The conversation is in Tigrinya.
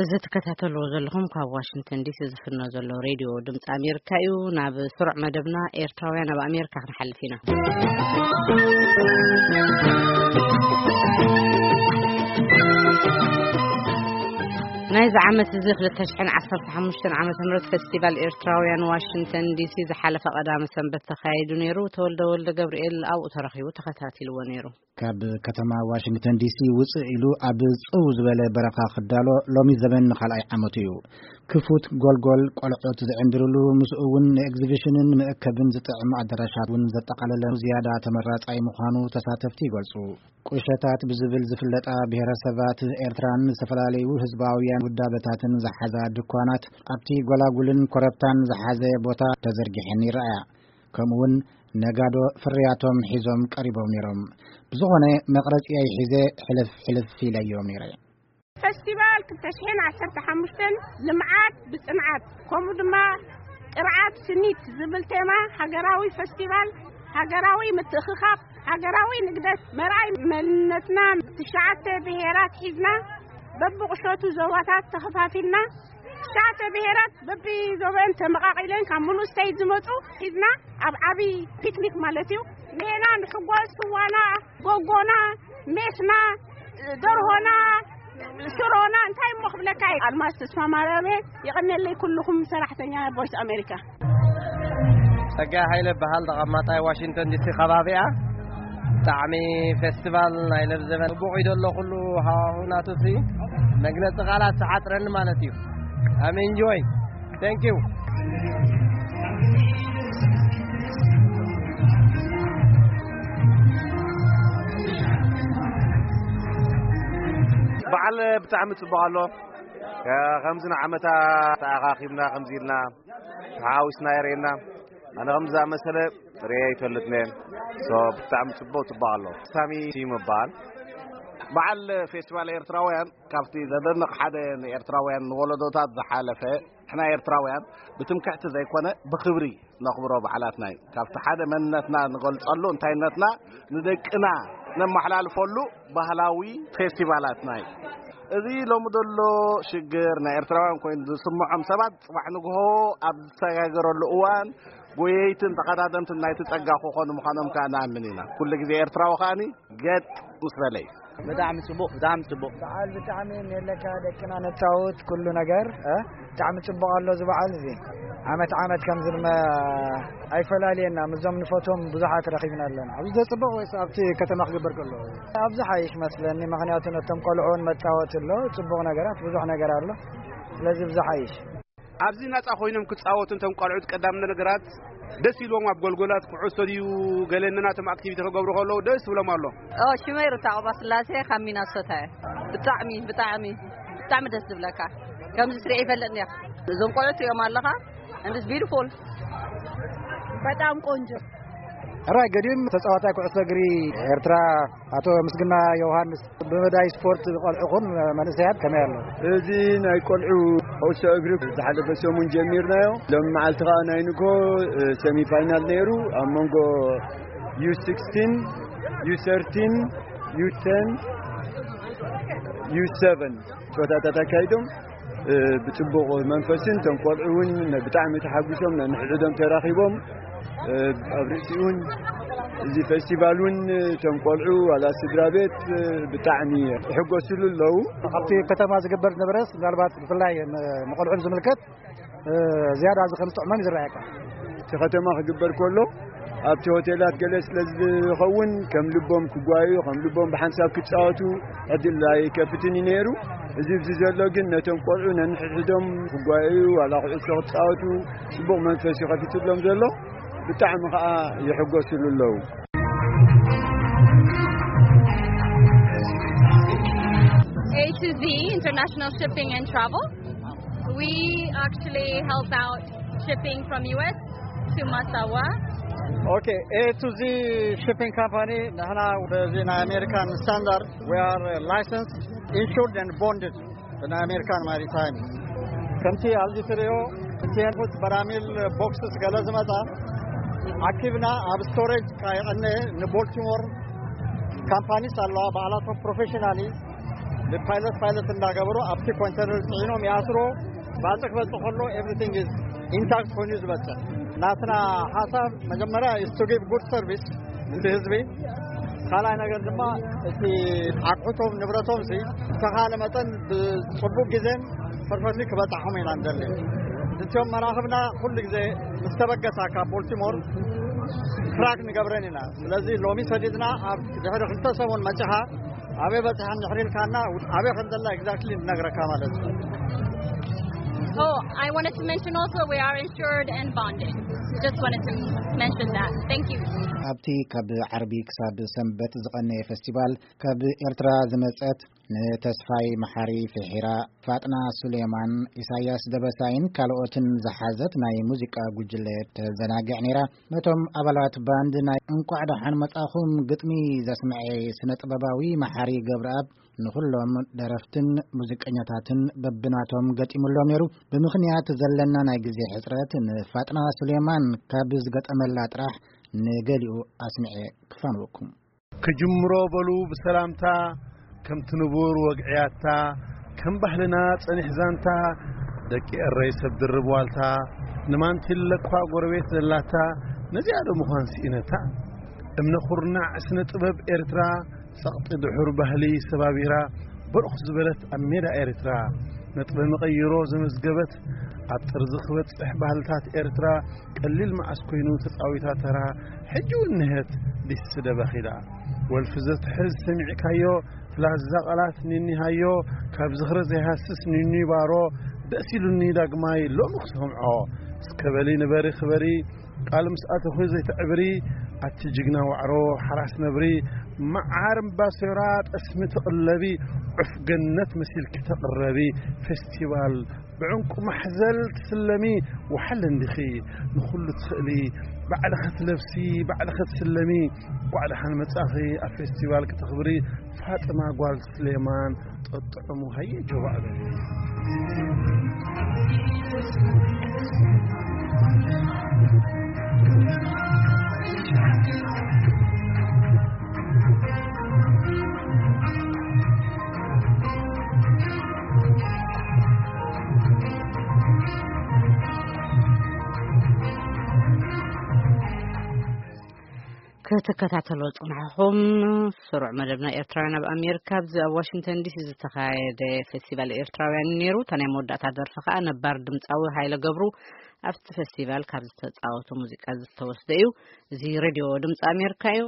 እዚ ትከታተልዎ ዘለኹም ካብ ዋሽንግተን ዲሲ ዝፍኖ ዘሎ ሬድዮ ድምፂ ኣሜሪካ እዩ። ናብ ስሩዕ መደብና ኤርትራውያን ኣብ ኣሜሪካ ክንሓልፍ ኢና። ናይዚ ዓመት እዚ ክልተ ሽሕን ዓሰርተ ሓሙሽተን ዓመተ ምህረት ፌስቲቫል ኤርትራውያን ዋሽንግተን ዲሲ ዝሓለፈ ቀዳመ ሰንበት ተኻይዱ ነይሩ። ተወልደ ወልደ ገብርኤል ኣብኡ ተረኺቡ ተኸታቲልዎ ነይሩ። ካብ ከተማ ዋሽንግተን ዲሲ ውፅእ ኢሉ ኣብ ፅው ዝበለ በረኻ ክዳሎ ሎሚ ዘበን ንኻልኣይ ዓመቱ እዩ። ክፉት ጎልጎል ቆልዑት ዝዕንድርሉ፣ ምስኡ እውን ንኤግዚቢሽንን መእከብን ዝጥዕም ኣዳራሻት እውን ዘጠቓለለ ዝያዳ ተመራፃይ ምዃኑ ተሳተፍቲ ይገልፁ። ቁሸታት ብዝብል ዝፍለጣ ብሔረሰባት ኤርትራን ዝተፈላለዩ ህዝባውያን ውዳበታትን ዝሓዛ ድኳናት ኣብቲ ጎላጉልን ኮረብታን ዝሓዘ ቦታ ተዘርጊሐን ይረኣያ። ከምኡውን ነጋዶ ፍርያቶም ሒዞም ቀሪቦም ነይሮም። ብዝኾነ መቕረጺ ኣይሒዘ ሕልፍ ሕልፍ ኢለዮም ነይረ። ፈስቲቫል ክልተ ሽሕን ዓሰርተ ሓሙሽተን ልምዓት ብጽንዓት፣ ከምኡ ድማ ቅርዓት ስኒት ዝብል ቴማ ሃገራዊ ፈስቲቫል፣ ሃገራዊ ምትእኽኻብ፣ ሃገራዊ ንግደት፣ መርኣይ መንነትና፣ ትሽዓተ ብሄራት ሒዝና በብቑሸቱ ዞባታት ተኸፋፊልና፣ ትሽዓተ ብሄራት በብዞበን ተመቓቒለን ካብ ምሉእ ስቴት ዝመፁ ሒዝና ኣብ ዓብዪ ፒክኒክ ማለት እዩ። ሜና ንሕጎስ፣ ስዋና፣ ጎጎና፣ ሜስና፣ ደርሆና፣ ሽሮና፣ እንታይ እሞ ክብለካ እዩ። ኣልማዝ ተስፋ ማርያም እየ። የቐንየለይ ኩልኹም ሰራሕተኛ ቮይስ ኣሜሪካ። ጸጋይ ሃይለ በሃል፣ ተቐማጣይ ዋሽንግተን ዲሲ ከባቢኣ። ብጣዕሚ ፌስቲቫል ናይ ለብዘበን ጽቡቕ እዩ ዘሎ ኩሉ ሃዋሁ ናቱሲ መግለጺ ቃላት ዝሓጽረኒ ማለት እዩ። I'm enjoy. Thank you. በዓል ብጣዕሚ ጽቡቕ ኣሎ። ከ-፣ ከምዚ ንዓመታ ተኣኻኺብና ከምዚ ኢልና ተሓዋዊስና የርእየና። ኣነ ከምዚ ዝኣመሰለ ርእየ ኣይፈልጥን እየ። ሶ ብጣዕሚ ጽቡቕ፣ ጽቡቕ ኣሎ። ሳሚ ስዩም እበሃል። በዓል ፌስቲቫል ኤርትራውያን ካብቲ ዘደንቕ ሓደ ንኤርትራውያን ንወለዶታት ዝሓለፈ፣ ንሕና ኤርትራውያን ብትምክሕቲ ዘይኮነ ብኽብሪ ነኽብሮ በዓላትና እዩ። ካብቲ ሓደ መንነትና ንገልጸሉ፣ እንታይነትና ንደቅና ነመሓላልፈሉ ባህላዊ ፌስቲቫላትና እዩ። እዚ ሎሚ ዘሎ ሽግር ናይ ኤርትራውያን ኮይኑ ዝስምዖም ሰባት፣ ጽባሕ ንግሆ ኣብ ዝሰጋገረሉ እዋን ጎየይትን ተቐዳደምትን ናይቲ ጸጋ ክኾኑ ምዃኖም ከኣ ንኣምን ኢና። ኩሉ ግዜ ኤርትራዊ ከኣኒ ገጥ ምስ በለ እዩ። ብጣዕሚ ጽቡቕ፣ ብጣዕሚ ጽቡቕ። በዓል ብጣዕሚ የለካ፣ ደቅና ነጻውት፣ ኩሉ ነገር፣ እ? ብጣዕሚ ጽቡቕ ኣሎ እዚ በዓል እዚ። ዓመት ዓመት ከምዚ ድማ ኣይፈላልየና፣ ምስዞም ንፈትዎም ብዙሓት ረኺብና ኣለና። ኣብዚ ዘጽብቕ ወይስ ኣብቲ ከተማ ክግበር ከሎ? ኣብዚ ሓይሽ መስለኒ፣ ምኽንያቱ ነቶም ቆልዑ እውን መጻወቲ ኣሎ፣ ጽቡቕ ነገራት፣ ብዙሕ ነገር ኣሎ። ስለዚ ብዝሓይሽ። ኣብዚ ናጻ ኮይኖም ክጻወቱ፣ እንቶም ቆልዑት ቀዳም ነገራት ደስ ኢልዎም ኣብ ጎልጎላት ኩዕሶ ድዩ ገለ ነናቶም ኣክቲቪቲ ክገብሩ ከለዉ ደስ ይብሎም ኣሎ። ኦ፣ ሽመይ ሩታ ቀባ ስላሴ ካብ ሚናሶታ እየ። ብጣዕሚ፣ ብጣዕሚ፣ ብጣዕሚ ደስ ዝብለካ። ከምዚ ስሪዕ ይፈልጥ እንዲያ። እዞም ቆልዑት እዮም ኣለኻ። And it's beautiful። በጣም ቆንጆ። ሕራይ ገዲም ተጻዋታይ ኩዕሶ እግሪ ኤርትራ ኣቶ ምስግና ዮሃንስ፣ ብመዳይ ስፖርት ቆልዑኹም መንእሰያት ከመይ ኣሎ? እዚ ናይ ቆልዑ ኩዕሶ እግሪ ዝሓለፈ ሰሙን ጀሚርናዮ። ሎም መዓልቲ ከኣ ናይ ንግሆ፣ እ፣ ሰሚ ፋይናል ነይሩ። ኣብ መንጎ ዩ ሲክስቲን፣ ዩ ሰርቲን፣ ዩ ቴን፣ ዩ ሰቨን ጸወታታት ኣካይዶም፣ እ፣ ብጽቡቕ መንፈስን እቶም ቆልዑ እውን ብጣዕሚ ተሓጒሶም ነንሕድሕዶም ተራኺቦም፣ እ፣ ኣብ ርእሲኡ እውን እዚ ፌስቲቫል እውን እቶም ቆልዑ ዋላ ስድራ ቤት፣ እ፣ ብጣዕሚ ይሕጎስሉ ኣለዉ። ኣብቲ ከተማ ዝግበር ዝነበረስ ምናልባት ብፍላይ ን-፣ ንቆልዑ ዝምልከት፣ እ፣ ዝያዳ እዚ ከም ዝጥዕሞም እዩ ዝረኣየካ። እቲ ከተማ ክግበር ከሎ ኣብቲ ሆቴላት ገለ ስለ ዝኸውን ከም ልቦም ክጓዩ፣ ከም ልቦም ብሓንሳብ ክጻወቱ ዕድል ኣይከፍትን እዩ ነይሩ። እዚ ኣብዚ ዘሎ ግን ነቶም ቆልዑ ነንሕድሕዶም ክጓዩ፣ ዋላ ኩዕሶ ክጻወቱ ጽቡቕ መንፈስ እዩ ከፊትሎም ዘሎ። ብጣዕሚ ከኣ ይሕጎስሉ ኣለዉ። A to Z International Shipping and Travel. We actually help out shipping from U S to Massawa. Okay, A to Z Shipping Company ንሕና በዚ ናይ ኣሜሪካን ስታንዳርድ we are licensed, insured and bonded ብናይ ኣሜሪካን ማሪታይም። ከምቲ ኣብዚ ትሪኦ ኮንቴነርስ፣ በራሚል፣ ቦክስስ ገለ ዝመጻ ኣኪብና ኣብ ስቶሬጅ ከየቐነ ንቦልቲሞር ካምፓኒስ ኣለዋ፣ ባዕላቶም ፕሮፌሽናሊ ብፓይለት ፓይለት እንዳገበሩ ኣብቲ ኮንተነር ፅዒኖም ይኣስሮ። ባፅዕ ክበፅእ ከሎ everything is intact ኮይኑ ዝበፅሕ። ናትና ሓሳብ መጀመርያ is to give good service እቲ ህዝቢ። ካልኣይ ነገር ድማ እቲ ኣቑሑቶም ንብረቶም ሲ ዝተኻለ መጠን ብፅቡቅ ግዜን ፐርፈክትሊ ክበፅሖም ኢና ንደሊ። እዚኦም መራኽብና ኩሉ ግዜ ምስ ተበገሳ ካብ ቦልቲሞር ትራክ ንገብረን ኢና። ስለዚ ሎሚ ሰዲድና ኣብ ድሕሪ ክልተ ሰሙን መፂኻ ኣበይ በፂሐን ድሕሪ ኢልካና ኣበይ ከም ዘላ exactly ንነግረካ ማለት እዩ። Oh, I wanted to mention also we are insured and bonded. Just wanted to mention that. Thank you. ኣብቲ ካብ ዓርቢ ክሳብ ሰንበት ዝቐነየ ፌስቲቫል ካብ ኤርትራ ዝመጸት ንተስፋይ መሓሪ ፍሒራ፣ ፋጥና ሱሌማን፣ ኢሳያስ ደበሳይን ካልኦትን ዝሓዘት ናይ ሙዚቃ ጉጅለ ተዘናግዕ ነይራ። ነቶም ኣባላት ባንድ ናይ እንቋዕ ደሓን መጻኹም ግጥሚ ዘስምዐ ስነ ጥበባዊ መሓሪ ገብረኣብ፣ ንኹሎም ደረፍትን ሙዚቀኛታትን በብናቶም ገጢሙሎም ነይሩ። ብምኽንያት ዘለና ናይ ግዜ ሕጽረት ንፋጥና ሱሌማን ካብ ዝገጠመላ ጥራሕ ንገሊኡ ኣስምዐ ክፋንወኩም። ክጅምሮ በሉ ብሰላምታ፣ ከምቲ ንቡር ወግዕያታ፣ ከም ባህልና ጸኒሕ ዛንታ፣ ደቂ ኤረይ ሰብ ድርብ ዋልታ፣ ንማንቲለ እኳ ጎረቤት ዘላታ፣ ነዚኣ ዶ ምዃን ስኢነታ? እምነ ኩርናዕ ስነ ጥበብ ኤርትራ፣ ጸቕጢ ድሑር ባህሊ ሰባቢራ፣ በርኽ ዝበለት ኣብ ሜዳ ኤርትራ፣ ነጥበ መቐይሮ ዘመዝገበት፣ ኣብ ጥርዚ ክበጽሕ ባህልታት ኤርትራ፣ ቀሊል መዓስ ኮይኑ ተጻዊታ ተራ፣ ሕጂ እውን ንሄት ዲስ ደበኺላ። ወልፊ ዘትሕዝ ሰሚዕካዮ፣ ትላዛ ቃላት ኒኒ ሃዮ፣ ካብ ዝኽሪ ዘይሃስስ ኒኒ ባሮ፣ ደስ ኢሉኒ ዳግማይ ሎሚ ክሰምዖ። እስከ በሊ ንበሪ ክበሪ፣ ቃል ምስ ኣተኹ ዘይተዕብሪ፣ ኣቲ ጅግና ዋዕሮ ሓራስ ነብሪ፣ መዓር እምባሶራ ጠስሚ ትቕለቢ፣ ዑፍ ገነት መሲልኪ ተቕረቢ፣ ፌስቲቫል ብዕንቁ ማሕዘል ትስለሚ፣ ወሓለ እንዲኺ ንኹሉ ትኽእሊ፣ ባዕልኺ ትለብሲ፣ ባዕልኺ ትስለሚ፣ እንቋዕ ደሓን መጻኺ ኣብ ፌስቲቫል ክተኽብሪ፣ ፋጥማ ጓል ስሌማን ጠጥዑሙ ሃየ ጆባእ በሊ። ክትከታተሎ ጽናሕኹም ስሩዕ መደብና ኤርትራውያን ኣብ ኣሜሪካ ኣብዚ ኣብ ዋሽንግተን ዲሲ ዝተኻየደ ፌስቲቫል ኤርትራውያን ነይሩ። እታ ናይ መወዳእታ ደርፊ ከኣ ነባር ድምፃዊ ሃይለ ገብሩ ኣብቲ ፌስቲቫል ካብ ዝተፃወቶ ሙዚቃ ዝተወስደ እዩ። እዚ ሬድዮ ድምፂ ኣሜሪካ እዩ።